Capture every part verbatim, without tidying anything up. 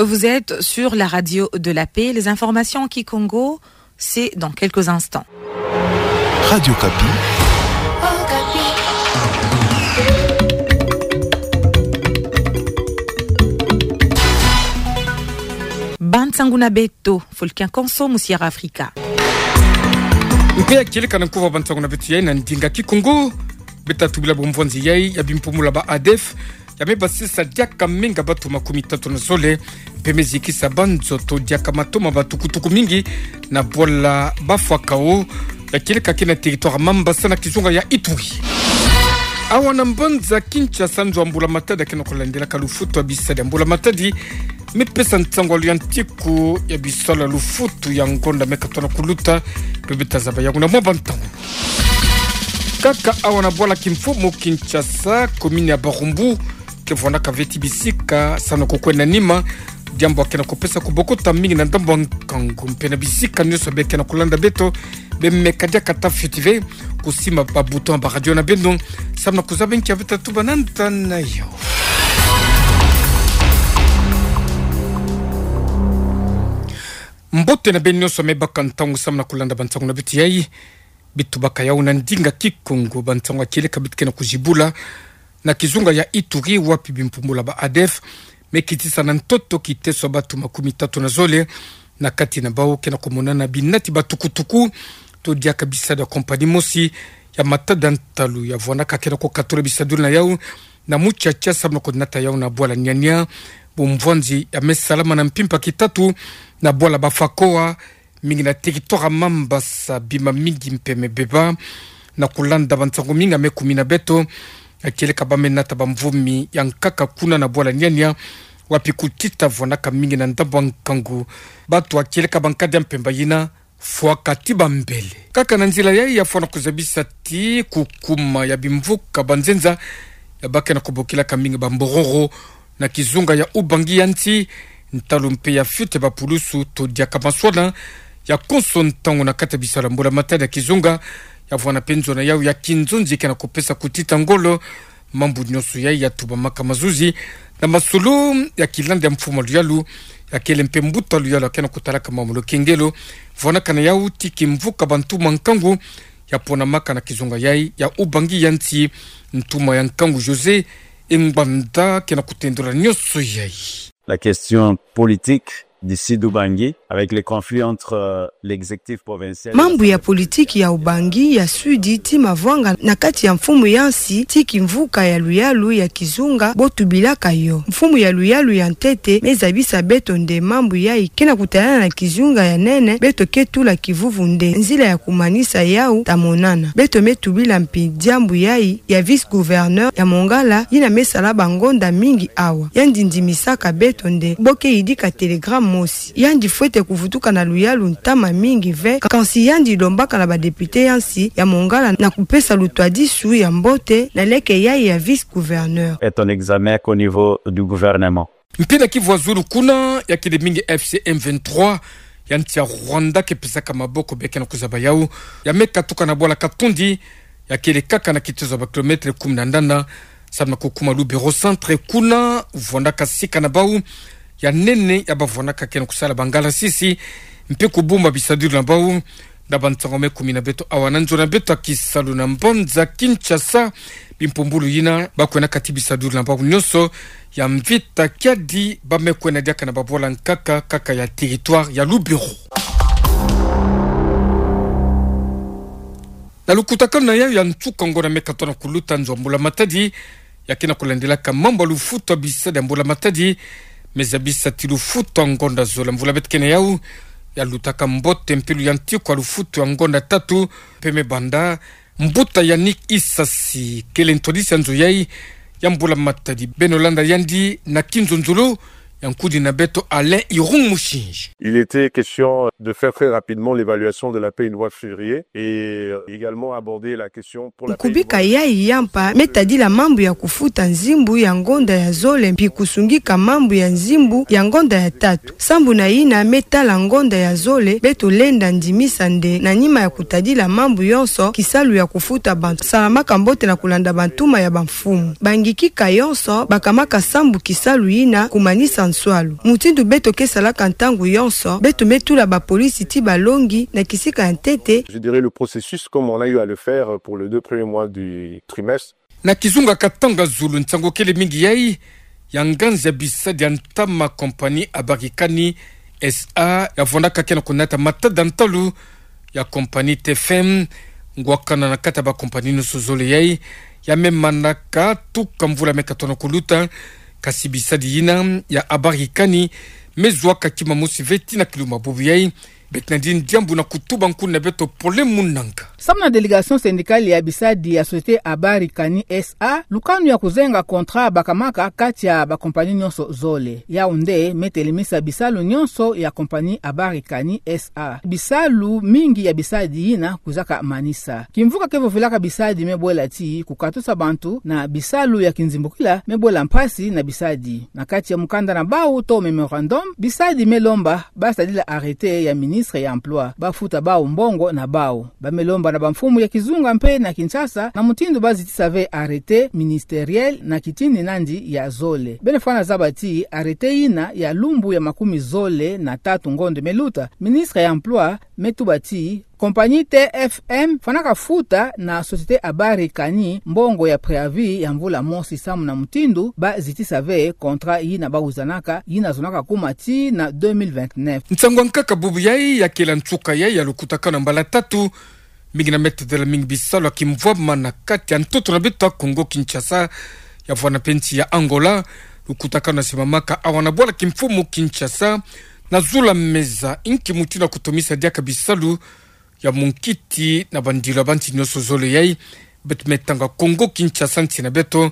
Vous êtes sur la radio de la paix. Les informations en kikongo, c'est dans quelques instants. Radio Okapi. Bansangu na beto, Folkin Konso, mu Sierra Africa. Mpe ya kieleka na nkuva bansangu na beto yai na ndinga kikongo, beta tubila bumvwanzi yai ya bimpumbulu ba ADF, ya me basisa diaka minga batu makumi tatu na zole, mpe me zikisa banzoto diaka mato ma batukutuku mingi na bwala ba Fwakao, ya kieleka ke na territoire Mambasa na kizunga ya Ituri. Awa na mbanza Kinshasa, nzo ya mbula matadi ya ke na kulandelaka lufutu ya bisadi ya mbula matadi, me pesa nsangu ya luyantiku ya bisalu ya lufutu ya ngonda me katona kuluta, mpe beta zaba yango na mwa bantangu. Kaka awa na bwala kimfumu Kinshasa, commune ya Barumbu, ke vwanaka ve ti bisika, samu na kukwenda nima, diambu ya ke na kupesa kubokota mingi na ndambu ya nkangu, mpe na bisika nyonso be ke na kulanda beto, be meka diaka ta fioti ve, kusimba ba bouton ya ba radio na beno, samu na kuzaba nki ya beta tubana nta na yo. Mbote na beno nyonso me baka ntangu samu na kulanda bansangu na beto yai, bitubaka yau na ndinga kikongo, bansangu ya kieleka bit ke na kuzibula na kizunga ya Ituri, wapi bimpumbulu ba ADF me kitisa na ntoto kiteso ya batu makumi tatu na zole, na kati na bau ke na kumonana binati batukutuku to diaka bisadi ya compagnie mosi ya matada ntalu ya vwanaka ke na kukatula bisadulu na yau na muchacha samu na kunata yau na bwala Niania, bumvwanzi ya me salama na mpimpa kitatu na bwala ba Fakoa, mingi na territoire Mambasa, bima mingi mpe me beba. Na kulanda bansangu mingi ya me kumi na beto, ya kieleka ba me nata bamvumi ya nkaka kuna na bwala Niania, wapi kutita vwanaka mingi na ndambu ya nkangu. Batu ya kieleka ba nkadi ya mpemba yina fwaka ti bambele. Kaka na nzila yai ya fwana kuzabisa ti kukuma ya bimvuka banzenza ya ba ke na kubokilaka mingi bambororo na kizunga ya Ubangi ya nsi, ntalu mpe ya fioti ya bapulusu to diaka maswana ya konso ntangu na kati ya bisalu ya mbula matadi ya kizunga, ya vwana mpe nzo na yau ya kinzonzi ke na kupesa kutita ngolo. Mambu nyonso yai ya tubamaka mazuzi na masolo ya kilanda ya mfumu ya luyalu, ya kele mpe mbuta ya luyalu ya ke na kutalaka mambu ya lukengelo, vwanaka na yau ti kimvuka ba ntuma nkangu ya ponamaka na kizunga yai ya Ubangi ya nsi, ntuma ya nkangu José Ngbanda ke na kutendula nyonso yai. La question politique d'ici d'Ubangi, avec les conflits entre, euh, l'exécutif provincial. Mambu ya politiki ya Ubangi ya Sud ti mavwanga na kati ya mfumu ya nsi ti kimvuka ya luyalu ya kizunga bo tubilaka yo. Mfumu ya luyalu ya ntete me zabisa beto nde mambu yai ke na kutalana na kizunga ya nene, beto ke tula kivuvu nde nzila ya kumanisa yau ta monana. Beto me tubila mpi diambu yai ya vice-gouverneur ya Mongala, yina me sala bangonda mingi awa. Yandi ndimisaka beto nde bo ke yidika télégramme mosi. Yandi fwete kuvutuka na luyalu ntama mingi ve, kansi yandi lombaka na ba député ya nsi ya Mongala na kupesa lutwadisu ya mbote na leke yai ya vice-gouverneur. Est un examen au niveau du gouvernement. Mpi na kivu ya zulu kuna, ya kele mingi F C M vingt-trois ya nsi ya Rwanda ke pesaka maboko be ke na kuzaba yau, ya me katuka na bwala Katundi, ya kele kaka na kitezo ya ba kilomètre kumi na nana, samu na kukuma Lubero centre kuna, vwandaka sika na bau ya nene ya ba vwandaka ke na kusala bangalasisi, mpe kubumba bisadulu na bau. Na bansangu me kumi na beto awa na nzo na beto ya kisalu na mbanza Kinshasa, bimpumbulu yina ba kwena kati bisadulu na bau nyonso ya mvita, kiadi ba me kwena diaka na babwala nkaka kaka ya territoire ya Lubero. Na lukutakanu na yau ya nsuka ngonda me katona kuluta, nzo ya mbula matadi ya ke na kulandelaka mambu ya lufutu ya bisadi ya mbula matadi me zabisa ti lufutu ya ngonda zole ya mvula beto ke na yau ya lutaka mbote mpe luyantiku ya lufutu ya ngonda tatu, mpe me banda. Mbuta Yannick Isasi kele ntwadisi ya nzo yai ya mbula matadi. Beno landa yandi na kinzonzolo ya nkudi na beto Alain Irung Mushinji. Il était question de faire très rapidement l'évaluation de la paie une fois février et, euh, également aborder la question pour la paie une fois. Nkubika yai ya mpa me tadila mambu ya kufuta nzimbu ya ngonda ya zole mpi kusungika mambu ya nzimbu ya ngonda ya tatu. Sambu na yina me tala ngonda ya zole, beto lenda ndimisa nde na nima ya kutadila mambu yonso, kisalu ya kufuta bantu salamaka mbote na kulanda bantuma ya bamfumu. Bangikika yonso bakamaka sambu kisalu yina kumanisa Nsualu. Mutindu beto ke salaka ntangu yonso, beto me tula bapolisi ti balongi na kisika ya ntete. Je dirais le processus comme on a eu à le faire pour les deux premiers mois du trimestre. Na kizunga katanga zulu nsangu kele mingi yai, ya nganzi ya bisadi ya ntama compagnie Habari Kani S A, ya vwandaka ke na kunata matada ntalu ya compagnie T F M, ngwakana na kati ya ba compagnie nyonso zole yai, ya me manaka tuka mvula me katona kuluta, kasi bisadi yina ya Habari Kani, me zuaka kima mosi ve tii na kilumbu bubu yai, beto na dini diambu na kutuba nkuna beto Pole Munanga. Samu na délégation syndicale ya bisadi ya société Habari Kani S A, lukanu ya kuzenga contrat bakamaka kati ya ba compagnie nyonso zole. Yau nde me telemisa bisalu nyonso ya compagnie Habari Kani S A. Bisalu mingi ya bisadi yina kwizaka manisa. Kimvuka ke vovelaka bisadi me bwela tii kukatusa bantu na bisalu ya kinzimbukila me bwela mpasi na bisadi. Na kati ya mukanda na bau to mémorandum, bisadi me lomba ba sadila arrêté ya ministre ya emploi, ba futa bau mbongo na bau. Ba me lomba na bamfumu ya kizunga mpe na Kinshasa na mutindu ba zitisa ve arrêté ministériel na kitini nandi ya zole. Beno fwana zaba ti arrêté yina ya lumbu ya makumi zole na tatu ngonde me luta, ministre ya emploi me tuba ti compagnie T F M fwanaka futa na société Habari Kani mbongo ya préavis ya mvula mosi samu na mutindu ba zitisa ve contrat yina ba wizanaka, yina zonaka kuma tii na deux mille vingt-neuf. Nsangu ya nkaka bubu yai ya kela nsuka yai ya lukutakanu ya mbala tatu, mingi na me tadila mingi bisalu ya kimvwama na kati ya ntoto na beto ya Congo Kinshasa, ya vwana mpe nsi ya Angola. Lukutakanu ya simamaka awa na bwala kimfumu Kinshasa, na zula meza inki mutindu ya kutomisa diaka bisalu ya munkiti na bandilu ya bansi nyonso zole yai. Beto me tanga Congo Kinshasa nsi na beto,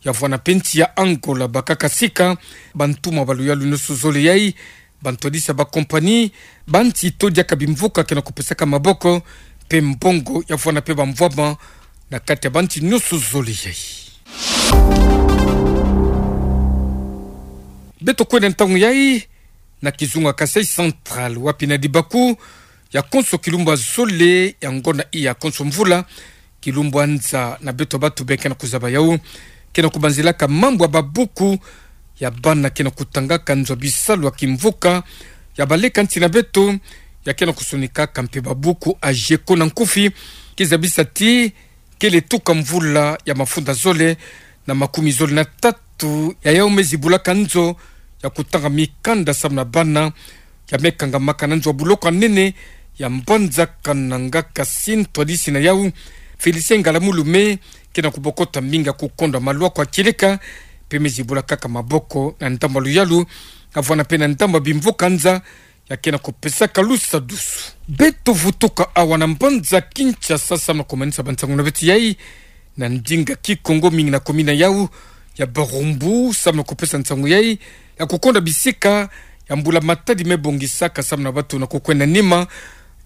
ya vwana mpe nsi ya Angola, bakaka sika, bantumwa ba luyalu nyonso zole yai, bantu ya disa ba compagnie, bansi to diaka bimvuka ke na kupesaka maboko, mpe mbongo ya vwana mpe bamvwama na kati ya bansi nyonso zole yai. Beto kwenda ntangu yai na kizunga Kasaï Central, wapi na dibaku ya konso kilumbu ya zole ya ngonda iya konso mvula, kilumbu ya nza na beto bantu be ke na kuzaba yau, ke na kubanzilaka mambu ya babuku ya bana ke na kutangaka nzo ya bisalu ya kimvuka ya baleka nsi na beto, ya ke na kusonikaka mpe babuku ya jeko na nkufi, ke zabisa ti kele tuka mvula ya mafunda zole na makumi zole na tatu ya yau me zibulaka nzo ya kutanga mikanda samu na bana, ya me kangamaka na nzo ya buloko ya nene ya Mbanza Kananga. Kasi ntu ya disi na yau, Félicien Ngalamulu, me ke na kubokota mbinga kukondwa malwaku ya kieleka, mpe me zibula kaka maboko na ndambu ya luyalu, ya vwana mpe na ndambu ya bimvuka nza, ya ke na kupesaka lusadusu. Beto vutuka awa na mbanza Kinshasa samu na kumanisa bansangu na beto yai, na ndinga Kikongo, mingi na commune ya yau ya Barumbu, samu na kupesa nsangu yai ya kukonda bisika ya mbula-matadi me bongisaka samu na bantu na kukwenda nima,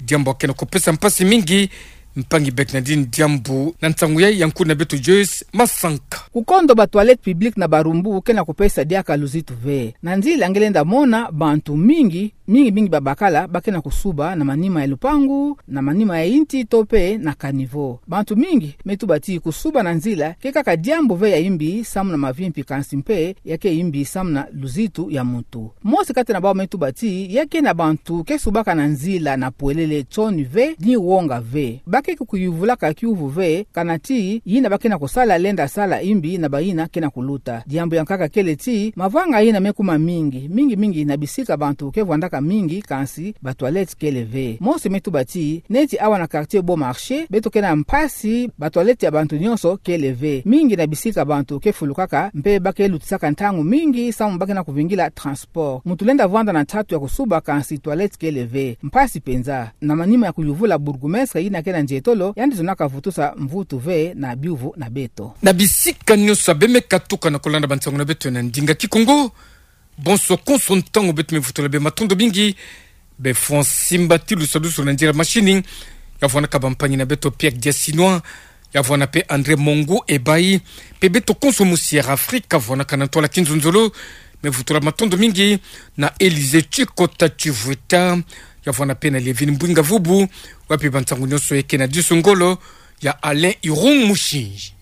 diambu ya ke na kupesa mpasi mingi. Mpangi, beto na dini diambu na nsangu yai ya nkuna beto Joyce Masanka. Kukondo ba toilettes publiques na Barumbu ke na kupesa diaka luzitu ve. Na nzila nge lenda mona bantu mingi, mingi mingi babakala ba ke na kusuba na manima ya lupangu, na manima ya inti to mpe na caniveau. Bantu mingi me tuba ti kusuba na nzila ke kaka diambu ve ya imbi samu na mavimpi, kansi mpe ya ke imbi samu na luzitu ya muntu. Mosi kati na bau me tuba ti ya ke na bantu ke subaka na nzila na pwelele, nsoni ve ni wonga ve. Ba ke kuyuvulaka kiuvu ve, kana ti yina ba ke na kusala lenda sala imbi na bayina ke na kuluta. Diambu ya nkaka kele ti mavanga yina me kuma mingi, mingi mingi na bisika bantu ke vwandaka mingi, kansi ba toilettes kele ve. Mosi me tuba ti neti awa na quartier Bon Marché, beto ke na mpasi, ba toilettes ya bantu nyonso kele ve. Mingi na bisika bantu ke fulukaka mpe ba ke lutisaka ntangu mingi samu ba ke na kuvingila transport. Muntu lenda vwanda na nsatu ya kusuba, kansi toilettes kele ve. Mpasi mpenza. Na manima ya kuyuvula bourgmestre yina ke na nzietolo, yandi zonaka vutusa mvutu ve na biuvu na beto. Na bisika nyonso ya be me katuka na kulanda bansangu na beto na ndinga Kikongo, bonso konso ntangu beto me vutula be matondo mingi. Be fwa nsimba ti lusadusu na nzila machine, ya vwanaka bampangi na beto Pierre Diasinois, ya vwana mpe André Mongo Ebayi, mpe beto konso mu Sierra Africa, vwanaka na ntwala kinzonzolo, me vutula matondo mingi na Élysée Chikota Chivueta, ya vwana mpe na Lévin Mbwinga Vubu, wapi bansangu nyonso ya ke na diso ngolo ya Alain Irung Mushinji.